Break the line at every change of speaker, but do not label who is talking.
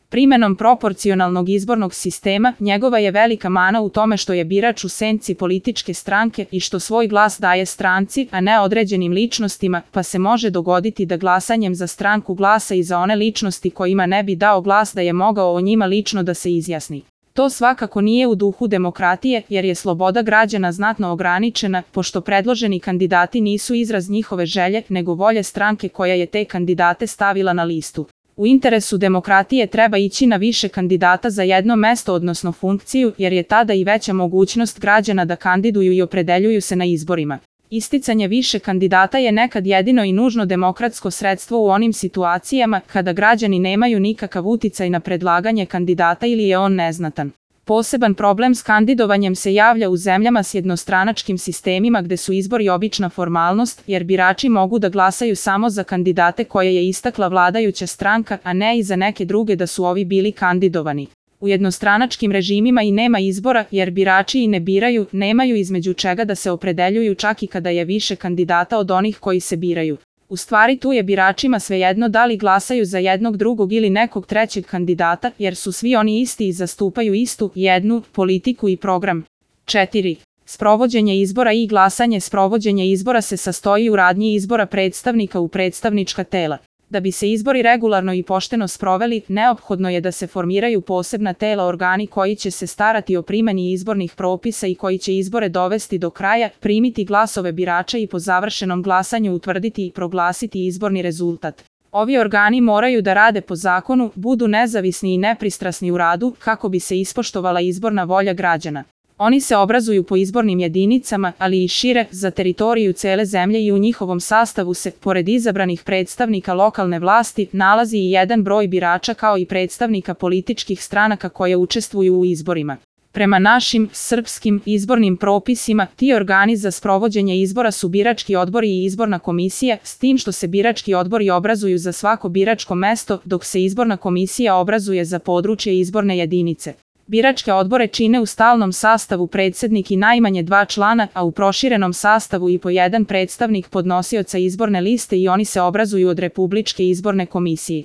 Primenom proporcionalnog izbornog sistema, njegova je velika mana u tome što je birač u senci političke stranke i što svoj glas daje stranci, a ne određenim ličnostima, pa se može dogoditi da glasanjem za stranku glasa i za one ličnosti kojima ne bi dao glas da je mogao o njima lično da se izjasni. To svakako nije u duhu demokratije, jer je sloboda građana znatno ograničena, pošto predloženi kandidati nisu izraz njihove želje, nego volje stranke koja je te kandidate stavila na listu. U interesu demokratije treba ići na više kandidata za jedno mesto odnosno funkciju, jer je tada i veća mogućnost građana da kandiduju i opredeljuju se na izborima. Isticanje više kandidata je nekad jedino i nužno demokratsko sredstvo u onim situacijama kada građani nemaju nikakav uticaj na predlaganje kandidata ili je on neznatan. Poseban problem s kandidovanjem se javlja u zemljama s jednostranačkim sistemima gde su izbori obična formalnost, jer birači mogu da glasaju samo za kandidate koje je istakla vladajuća stranka, a ne i za neke druge da su ovi bili kandidovani. U jednostranačkim režimima i nema izbora, jer birači i ne biraju, nemaju između čega da se opredeljuju čak i kada je više kandidata od onih koji se biraju. U stvari tu je biračima svejedno da li glasaju za jednog drugog ili nekog trećeg kandidata, jer su svi oni isti i zastupaju istu, jednu, politiku i program. 4. Sprovođenje izbora i glasanje. Sprovođenje izbora se sastoji u radnji izbora predstavnika u predstavnička tela. Da bi se izbori regularno i pošteno sproveli, neophodno je da se formiraju posebna tela, organi koji će se starati o primeni izbornih propisa i koji će izbore dovesti do kraja, primiti glasove birača i po završenom glasanju utvrditi i proglasiti izborni rezultat. Ovi organi moraju da rade po zakonu, budu nezavisni i nepristrasni u radu, kako bi se ispoštovala izborna volja građana. Oni se obrazuju po izbornim jedinicama, ali i šire, za teritoriju cele zemlje i u njihovom sastavu se, pored izabranih predstavnika lokalne vlasti, nalazi i jedan broj birača kao i predstavnika političkih stranaka koje učestvuju u izborima. Prema našim, srpskim, izbornim propisima, ti organi za sprovođenje izbora su birački odbori i izborna komisija, s tim što se birački odbori obrazuju za svako biračko mesto, dok se izborna komisija obrazuje za područje izborne jedinice. Biračke odbore čine u stalnom sastavu predsednik i najmanje 2 člana, a u proširenom sastavu i po jedan predstavnik podnosioca izborne liste i oni se obrazuju od Republičke izborne komisije.